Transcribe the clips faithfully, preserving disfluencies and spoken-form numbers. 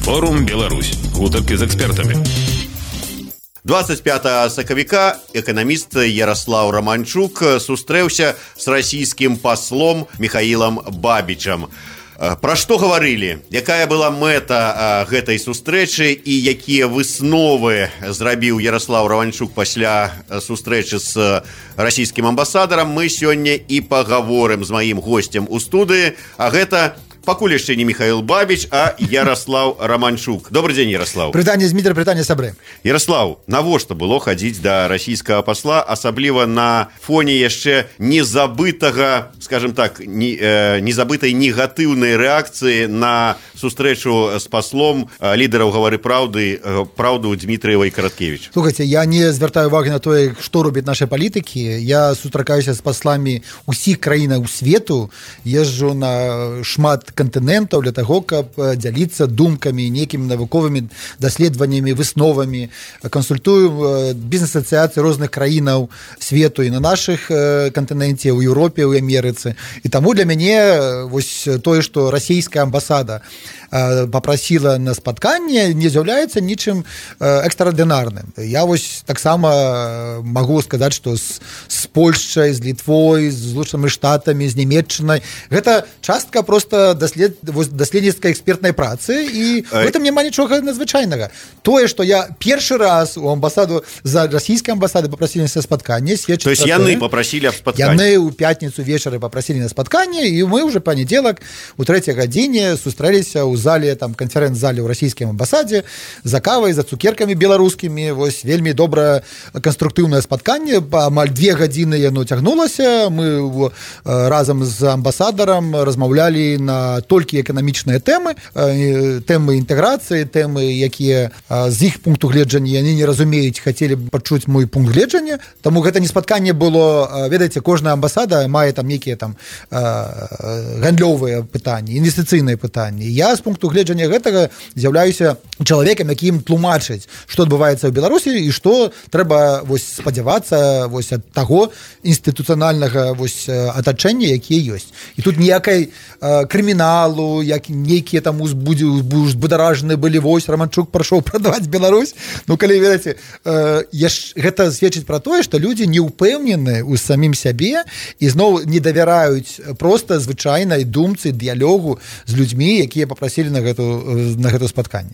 Форум Беларусь. Гутарки з экспертамі. двадцать пятого сакавіка эканаміст Ярослав Романчук сустрэўся з расійскім паслом Михаилом Бабичам. Пра што гаварылі? Якая была мэта гэтай сустрэчы і якія высновы зрабіў Ярослав Романчук пасля сустрэчы з расійскім амбасадарам, мы сёння і пагаворым з маім госцем у студыі, а гэта пакуль яшчэ не Михаил Бабич, а Ярослав Романчук. Добрый день, Ярослав. Прытанне з Дмітрыя, прытанне сабры. Ярослав, навошта было хадзіць да расійскага пасла, асабліва на фоне яшчэ незабытага, скажем так, не, э, незабытай негатыўнай рэакцыі на сустрэчу з паслом э, лідараў гавары праўды, э, праўду Дмітрыева і Караткевич? Слухайте, я не звяртаю уваги на тое, што робяць нашы палітыкі. Я сустракаюся з пасламі ўсіх краінаў свету, езджу на шмат кантынентаў для таго, каб дзяліцца думкамі, нейкімі навуковымі даследаваннямі, высновамі, кансультую бізнес-асацыяцыі розных краінаў свету і на нашых кантыненце, у Еўропе, у Амерыцы. І таму для мяне вось тое, што расійская амбасада попросила на спатканне, не з'яўляецца нічым экстраардынарным. Я вось таксама магу сказаць, што з, з Польшчай, з Літвой, з Злучанымі Штатамі, з Нямецчынай гэта частка проста даслед, даследніцкай экспертнай працы, і в этом няма нічога надзвычайнага. Тое, што я першы раз у амбасаду за расійскай амбасады попросили на спатканне, сведчыць. То есть яны попросили об спатканне? Яны ў пятніцу вечары попросили на спатканне, і мы уже панядзелак у трэцяй гадзіне сустрэліся ў зале, там канферэнц-зале ў расійскім амбасадзе за кавай, за цукеркамі беларускімі. Вось вельмі добрае канструктыўнае спатканне, амаль две гадзіны яно цягнулася. Мы разам з амбасадарам размаўлялі на толькі эканамічныя тэмы, тэмы інтэграцыі, тэмы, якія з іх пункту гледжання яны не разумеюць, хацелі б пачуць мой пункт гледжання. Таму гэта не спатканне было, ведаеце, кожная амбасада мае там нейкія там гандлёвыя пытанні, інвестыцыйныя пытанні. Я з пункту гледжання гэтага з'яўляюся чалавекам, які ім тлумачыць, што адбываецца ў Беларусі і што трэба вось спадзявацца вось ад таго інстытуцыянальнага вось атачэння, якія ёсць. І тут ніякай э, крыміналу, як нейкія там узбударажаны былі, вось Романчук прашоў прадаваць Беларусь. Ну, калі ведаеце, э, яш, гэта сведчыць пра тое, што людзі не ўпэўнены ў самім сябе і зноў не давяраюць проста звычайнай думцы, дыялогу з людзьмі, якія папрасілі на гэту, на гэту спатканне.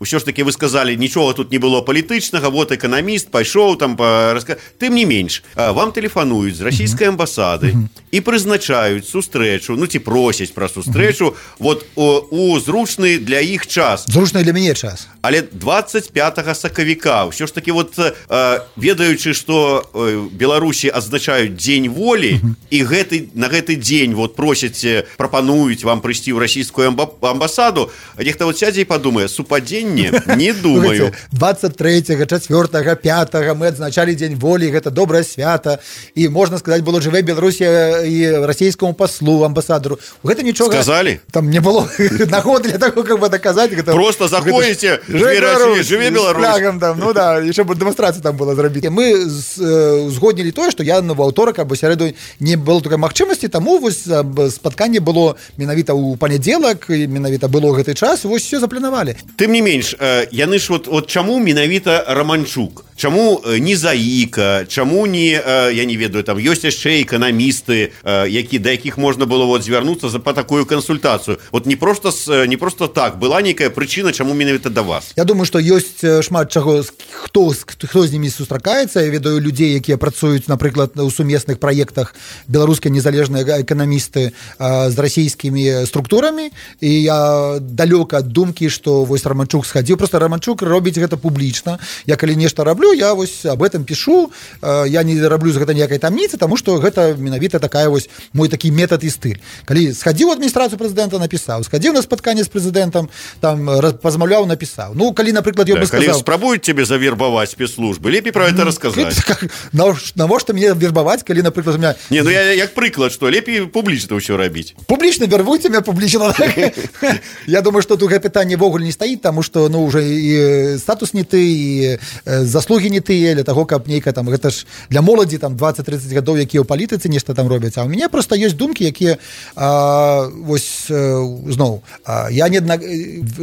Усё ж таки вы сказали, нічога тут не было палітычнага, вот эканаміст пайшоў там па... Тым не менш, вам тэлефануюць з расійскай амбасады і прызначаюць сустрэчу, ну ці просяць пра сустрэчу вот у, у зручны для іх час. Зручны для мяне час. Але двадцать пятого сакавіка ўсё ж таки вот э, ведаючы, што э, Беларусі адзначаюць дзень волі, і гэты, на гэты дзень вот просяць, прапануюць вам прыйсці ў расійскую амбасаду, нехта вот сядзе і падумае, супадзенне? Не думаю. двадцать трэцяга, чацвёртага, пятага мы адзначалі дзень волі, гэта добрае свята, і можна сказаць, было жыве Беларусі і расійскому паслу, амбасадару. Гэта нічога сказалі? Там не было нагоды для таго, каб даказаць. Гэта, просто заходзіце, жыве Беларусь. Там, ну да, яшчэ б дэманстрацыю там было зрабіць. Мы узгоднілі тое, што я на аўторак або сярэду не было такой магчымасці, таму вось спатканне было менавіта ў панядзелак, менавіта было гэты час, вось все запланавалі. Тым не менш, яны ж вот, вот чаму менавіта Романчук? Чаму не Заіка? Чаму не, я не ведаю, там ёсць яшчэ эканамісты, які, да якіх можна было вот звярнуцца за, па такую кансультацыю? Вот не просто, не просто так, была нейкая прычына, чаму менавіта да вас? Я думаю, што ёсць шмат чаго, хто, хто з німі сустракаецца. Я ведаю людзей, якія працуюць, напрыклад, у сумесных праектах беларускай незалежныя эканамісты з расійскімі структурамі, і я далёка ад думкі, што вось Романчук схадзіў. Просто Романчук робіць гэта публічна. Я калі нешта раблю, я вось об этом пишу, я не раблю з гэта ніякай тамніцы, таму што гэта менавіта такая вось мой такі метад і стыль. Калі схадзіў у адміністрацыю прэзідэнта, напісаў, схадзіў на спатканне з прэзідэнтам, там пазмаўляў, напісаў. Ну, калі, напрыклад, я да, бы сказаў... Калі спрабуюць цябе завербаваць спецслужбы, лепей пра гэта расказаць. Навошта мне вербаваць, калі, напрыклад, у меня... Не, ну я як прыклад, што лепей публічна ўсё рабіць. Публічна вербуйце меня, публічна. Я думаю, што тут гэта пытанне вогуле не стаіць, таму што, ну, уже і статус не ты, і заслуг заслугі не тыя, для таго, каб нейка там, гэта ж для моладзі там дваццаць-трыццаць гадоў, якія ў палітыцы нешта там робяць. А ў мяне проста ёсць думкі, якія а, вось зноў, а, я не адна,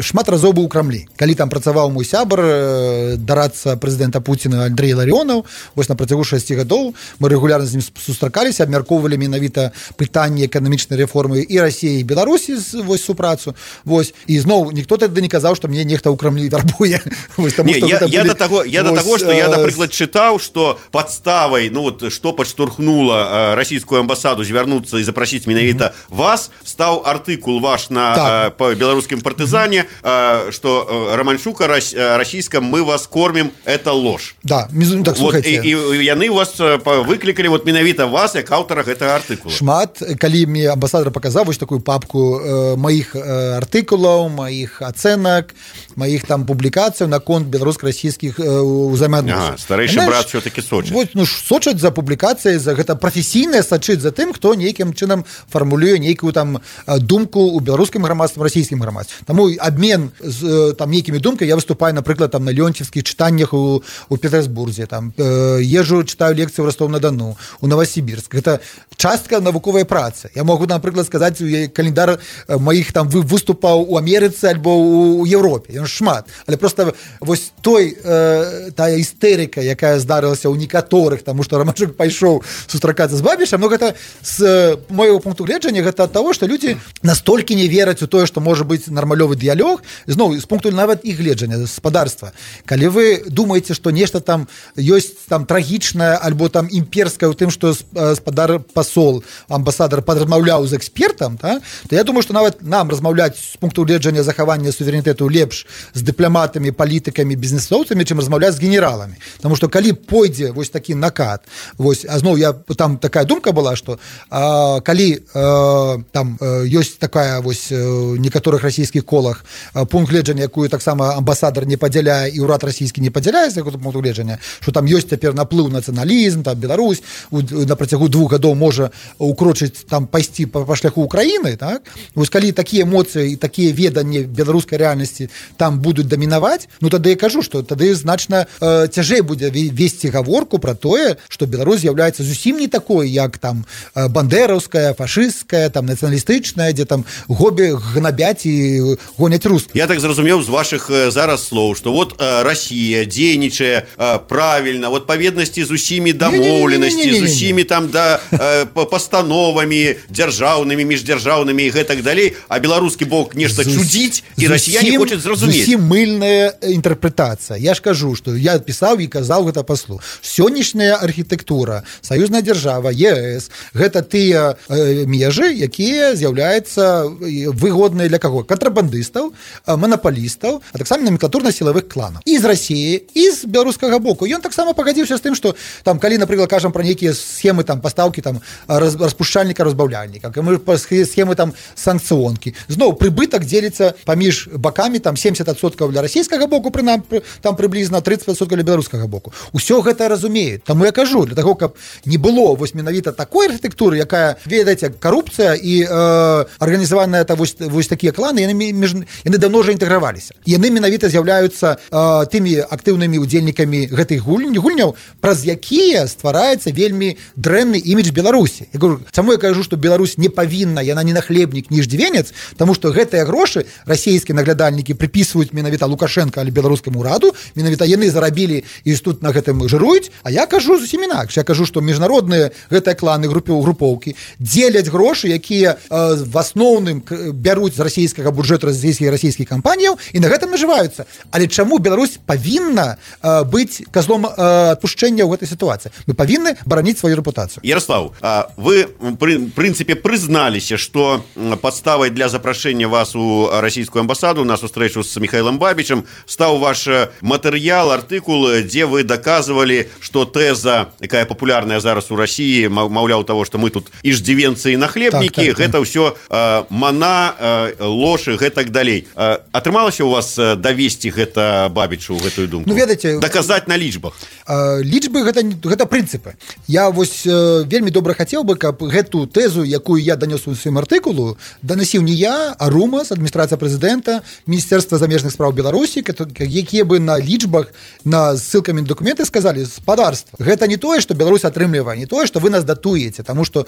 шмат разоў быў у Крамлі. Калі там працаваў мой сябар, дарадца прэзідэнта Пуціна Андрэй Ларионов, вось на працягу шасці гадоў мы рэгулярна з ім сустракаліся, абмяркоўвалі менавіта пытанні эканамічнай рэформы і Расіі, і Беларусі, вось супрацу. Вось. І зноў ніхто тады не казаў, што мне нехта ў Крамлі вярбуе. Вось, таму, не, я, былі, я, до того, я вось, до того, что я, напрыклад, чытаў, што падставай, ну вот, што падштурхнула расійскую амбасаду звярнуцца і запрасіць менавіта mm-hmm. вас, стаў артыкул ваш на так. по беларускім партызане, mm-hmm. што Романчук расійскам мы вас кормім, это ложь. Да, так, вот, і, і яны вас выклікалі вот менавіта вас як аўтара гэтага артыкула. Шмат, калі мне амбасадар паказаў вось такую папку э, маіх э, артыкулаў, маіх ацэнак, маіх там публікацыяў наконт беларуска-расійскіх э, узаемаадносін. Ага, старэйшы брат все-таки сочыць. Вот, ну, сочаць за публікацыяй, за гэта прафесійнае сачыць за тым, хто нейкім чынам фармулюе нейкую там думку ў беларускім грамадстве, расійскім грамадстве. Таму абмен з там нейкімі думкамі, я выступаю, напрыклад, там на леонтьевскіх чытаннях у, у Петербурзе, там э, езжу, читаю лекцыі ў Ростов-на-Дону, у Новосибирск. Гэта частка навуковай працы. Я могу, напрыклад, сказаць календар маіх там выступаў у Амерыцы альбо у Европе. Ён шмат. Але просто вось той э, тая істэрыка, якая здарылася ў некаторых, таму што Романчук пайшоў сустракацца з Бабішам, но гэта з моего пункту гледжання гэта ад таго, што людзі настолькі не вераць у тое, што можа быць нармалёвы дыялог, зноў з пункту нават іх гледжання гаспадарства. Калі вы думаеце, што нешта там ёсць там трагічнае альбо там імперскае ў тым, што гаспадар пасол, амбасадар падразмаўляў з экспертам, та, то я думаю, што нават нам размаўляць з пункту гледжання захавання суверэнітэту лепш з дыпламатамі, палітыкамі, бізнесоўцамі, чым размаўляць з генераламі. Таму што калі пойдзе вось такі накат, вось, а зноў я там такая думка была, што а, калі а, там а, ёсць такая вось некаторых расійскіх колах а, пункт гледжання, якую таксама амбасадар не падзяляе і ўрад расійскі не падзяляе з якога пункту гледжання, што там ёсць цяпер наплыў нацыяналізм, там Беларусь у, на працягу двух гадоў можа укрочыць там пайсці па, па шляху Украіны, так? Вось калі такія эмоцыі і такія веданні беларускай рэальнасці там будуць дамінаваць, ну тады я кажу, што тады значна э, цяжэй будзе весці гаворку пра тое, што Беларусь з'яўляецца зусім не такой, як там э, бандераўская, фашысцкая, там нацыяналістычная, дзе там гобі гнабяць і гоняць русскіх. Я так зразумеў з вашых э, зараз слоў, што вот э, Расія дзейнічае э, правільна, вот паведнасці з усімі дамоўленасці, з усімі там да э, пастановамі дзяржаўнымі, міждзяржаўнымі і гэтак далей, а беларускі бок нешта чудзіць, і расіяне хочуць зразумець. Зусім мыльная інтэрпрэтацыя. Я ж кажу, што я пісаў і казаў гэта паслу. Сённяшняя архітэктура, саюзная дзяржава, ЕС, гэта тыя э, межы, якія з'яўляюцца выгодныя для каго? Кантрабандыстаў, манапалістаў, а таксама номенклатурна-сілавых кланаў. І з Расіі, і з беларускага боку. Ён таксама пагадзіўся з тым, што там, калі, напрыклад, кажам пра нейкія схемы там пастаўкі там распушчальніка, разбаўляльніка, схемы там санкцыонкі. Зноў прыбытак дзеліцца паміж бакамі там семьдесят адсоткаў для расійскага боку, прынам там прыблізна тридцать адсоткаў для беларускага боку. Усё гэта разумеюць. Таму я кажу, для таго, каб не было вось менавіта такой архітэктуры, якая, ведаеце, карупцыя і э, арганізаваная та вось, вось такія кланы, яны між, яны давно ўжо інтэграваліся. Яны менавіта з'яўляюцца э, тымі актыўнымі удзельнікамі гэтых гульняў, гульняў, праз якія ствараецца вельмі дрэнны імідж Беларусі. Я кажу, чаму я кажу, што Беларусь не павінна, яна не нахлебнік, ні ждзівенец, таму што гэтыя грошы расійскія наглядальнікі прыпісваюць менавіта Лукашенко алі беларускаму ўраду, менавіта яны зарабілі і тут на гэтым жыруюць, а я кажу зусім інакш. Я кажу, што міжнародныя гэтыя кланы, групоўкі дзеляць грошы, якія э, в асноўным бяруць з расійскага бюджэту расійскіх расійскіх кампаніяў і на гэтым нажываюцца. Але чаму Беларусь павінна э, быць казлом э, адпушчэння ў гэтай сітуацыі? Мы павінны бараніць сваю рэпутацыю. Ярослав, вы в прынцыпе прызналіся, што падставай для запрашэння вас у расійскую амбасаду на сустрэчу з Михаилом Бабічам стаў ваш матэрыял, артыкул, дзе вы даказвалі, што тэза, якая папулярная зараз у Расіі, маўляў таго, што мы тут иждзівенцы і нахлебнікі, так, так, гэта ўсё э, мана, э, ложь і гэтак далей. Э, атрымалася у вас давесці гэта Бабічу, гэтую думку? Ну, ведаеце, даказаць на лічбах? Э, лічбы гэта, гэта прынцыпы. Я вось э, вельмі добра хацеў бы, каб гэту тэзу, якую я данёс у сваім артыкулу, данасіў не я, а РУМАС, адміністрацыя прэзідэнта, Міністэрства замежных спраў Беларусі, якія бы на лічбах, на на ссылкамі на документы сказалі спадарства. Гэта не тое, што Беларусь атрымлівае, не тое, што вы нас датуеце, таму што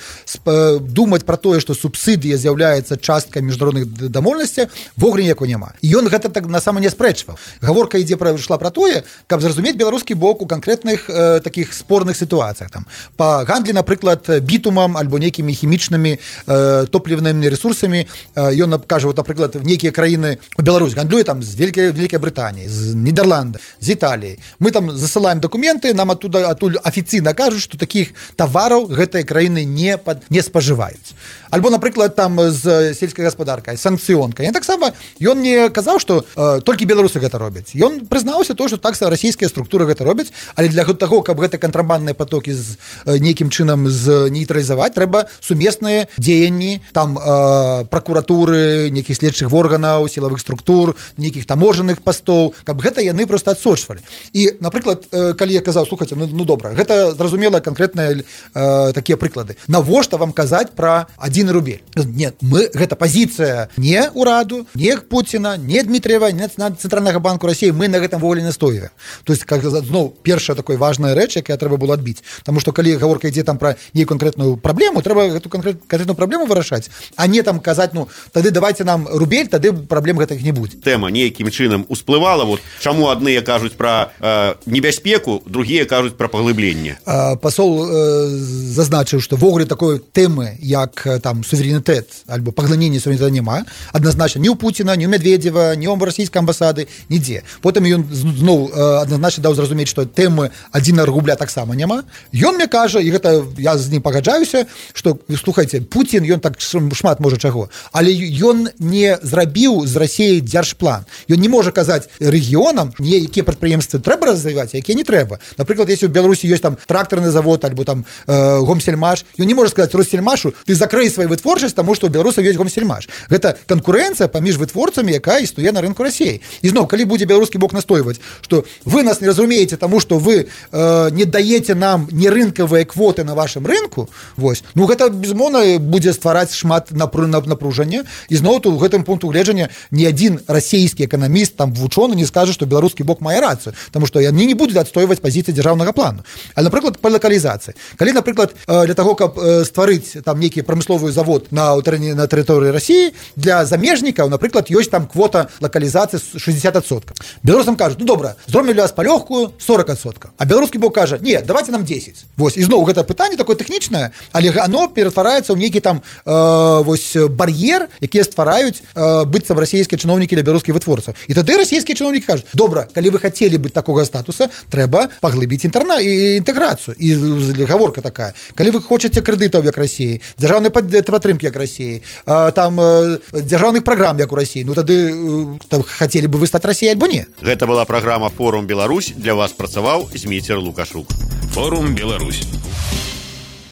думаць пра тое, што субсідыя з'яўляецца часткай міжнародных дамоўленасцяў, вогуле ніякого няма. І ён гэта так насама не спрэчваў. Гаворка ідзе пра ішла пра тое, каб зразумець беларускі бок у канкрэтных э, такіх спорных сітуацыях. Там па гандлі, напрыклад, бітумам альбо нейкімі хімічнымі э, топлівнымі ресурсамі. Э, ён кажа, вот, напрыклад, в нейкія краіны Беларусь гандлюе там з Великай, Великай Брытаніі, з Нідерланда, з Італіі. Мы там засылаем документы, нам оттуда адтуль афіцыйна кажуць, што такіх тавараў гэтыя краіны не, пад, не спажываюць. Альбо, напрыклад, там з сельскай гаспадаркай, санкцыёнка. Ён таксама, ён не казаў, што э, толькі беларусы гэта робяць. Ён прызнаўся то, што так расійскія структуры гэта робяць, але для таго, каб гэта кантрабандныя потокі з э, нейкім чынам з нейтралізаваць, трэба сумесныя дзеянні, там э, пракуратуры, нейкіх следчых органаў, сілавых структур, нейкіх таможаных пастоў, каб гэта яны проста адсочвалі. І, напрыклад, э, калі я казаў, слухайце, ну, ну добра, гэта зразумела канкрэтныя э, такія прыклады. Навошта вам казаць пра адзін рубель? Нет, мы, гэта пазіцыя не ўраду, не Пуціна, не Дмітрыева, не Цэнтральнага банку Расіі, мы на гэтым воволі настоюем. То есть, как, зноў, першая такой важная рэч, якая трэба было адбіць. Таму што калі гаворка ідзе там пра нейкую канкрэтную праблему, трэба гэту канкрэтную праблему вырашаць, а не там казаць, ну, тады давайте нам рубель, тады праблем гэтых не будзе. Тэма нейкім чынам усплывала, вот чаму адныя кажуць пра э, небяспеку, другія кажуць пра паглыбленне. Э, пасол э, зазначыў, што вогуле такой тэмы, як там суверэнітэт альбо паглыненне суверэнітэта няма, адназначна ні ў Пуціна, ні ў Медведзева, ні ў расійскай амбасады, нідзе. Потым ён зноў э, адназначна даў зразумець, што тэмы адзінага рубля таксама няма. Ён мне кажа, і гэта я з ім пагаджаюся, што, слухайце, Пуцін, ён так шмат можа чаго, але ён не зрабіў з Расіяй дзяржплан. Ён не можа казаць рэгіонам, якія прадпрыемствы трэба развіваць, якія не трэба. Напрыклад, если ў Беларусі ёсць там трактарны завод альбо там э, гомсельмаш, ён не можа сказаць Россельмашу, ты закрый сваю вытворчасць, таму што ў беларусаў ёсць гомсельмаш. Гэта канкурэнцыя паміж вытворцамі, якая існуе на рынку Расіі. І зноў, калі будзе беларускі бок настойваць, што вы нас не разумееце, таму што вы э, не даеце нам нерынкавыя квоты на вашым рынку, вось, ну гэта безумоўна будзе ствараць шмат напружання. І зноў тут у гэтым пункту гледжання ні адзін расійскі эканаміст, там вучоны не скажа, што беларускі бок мае рацыю, таму што яны не будуць адстойваць пазіцыі дзяржаўнага плану. Але, напрыклад, па лакалізацыі. Калі, напрыклад, для таго, каб стварыць там нейкі прамысловы завод на, на тэрыторыі Расіі, для замежнікаў, напрыклад, ёсць там квота лакалізацыі шэсцьдзесят адсоткаў. Беларусам кажуць, ну добра, зробім для вас палёгкую сорок адсоткаў. А беларускі бок кажа, не, давайте нам дзесяць. Вось, і зноў гэта пытанне такое тэхнічнае, але оно ператвараецца ў нейкі там э, вось бар'ер, якія ствараюць э, быццам расійскія чыноўнікі для беларускіх вытворцаў. І тады расійскія чыноўнікі кажуць, добра, калі вы хацелі быць такога статуса, трэба паглыбіць інтэрна і інтэграцыю. І гаворка такая. Калі вы хочаце крэдытаў як Расіі, дзяржаўнай падтрымкі як Расіі, э, там э, дзяржаўных праграм як у Расіі, ну тады э, хацелі бы вы стаць Расіяй альбо не. Гэта была праграма «Форум Беларусь». Для вас працаваў Зміцер Лукашук. Форум Беларусь.